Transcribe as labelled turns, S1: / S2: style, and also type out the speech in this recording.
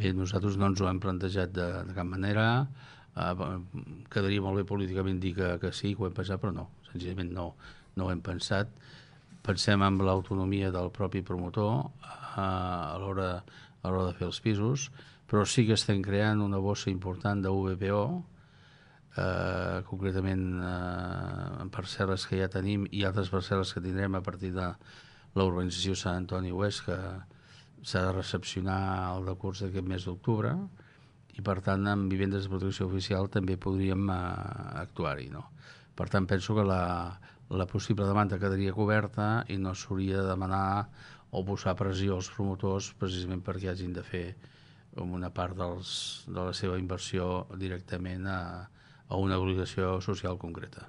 S1: Bé, nosaltres no ens ho hem plantejat de cap manera. Quedaria molt bé políticament dir que sí, que ho hem pensat, però no, senzillament no ho hem pensat. Pensem en l'autonomia del propi promotor a l'hora de fer els pisos, però sí que estem creant una bossa important de VPO, concretament en parcel·les que ja tenim i altres parcel·les que tindrem a partir de la urbanització Sant Antoni Oest, que s'ha de recepcionar el decurs d'aquest mes d'octubre, i per tant amb vivendes de protecció oficial també podríem actuar-hi, no? Per tant penso que la possible demanda quedaria coberta i no s'hauria de demanar o posar pressió als promotors precisament perquè hagin de fer una part de la seva inversió directament a una obligació social concreta.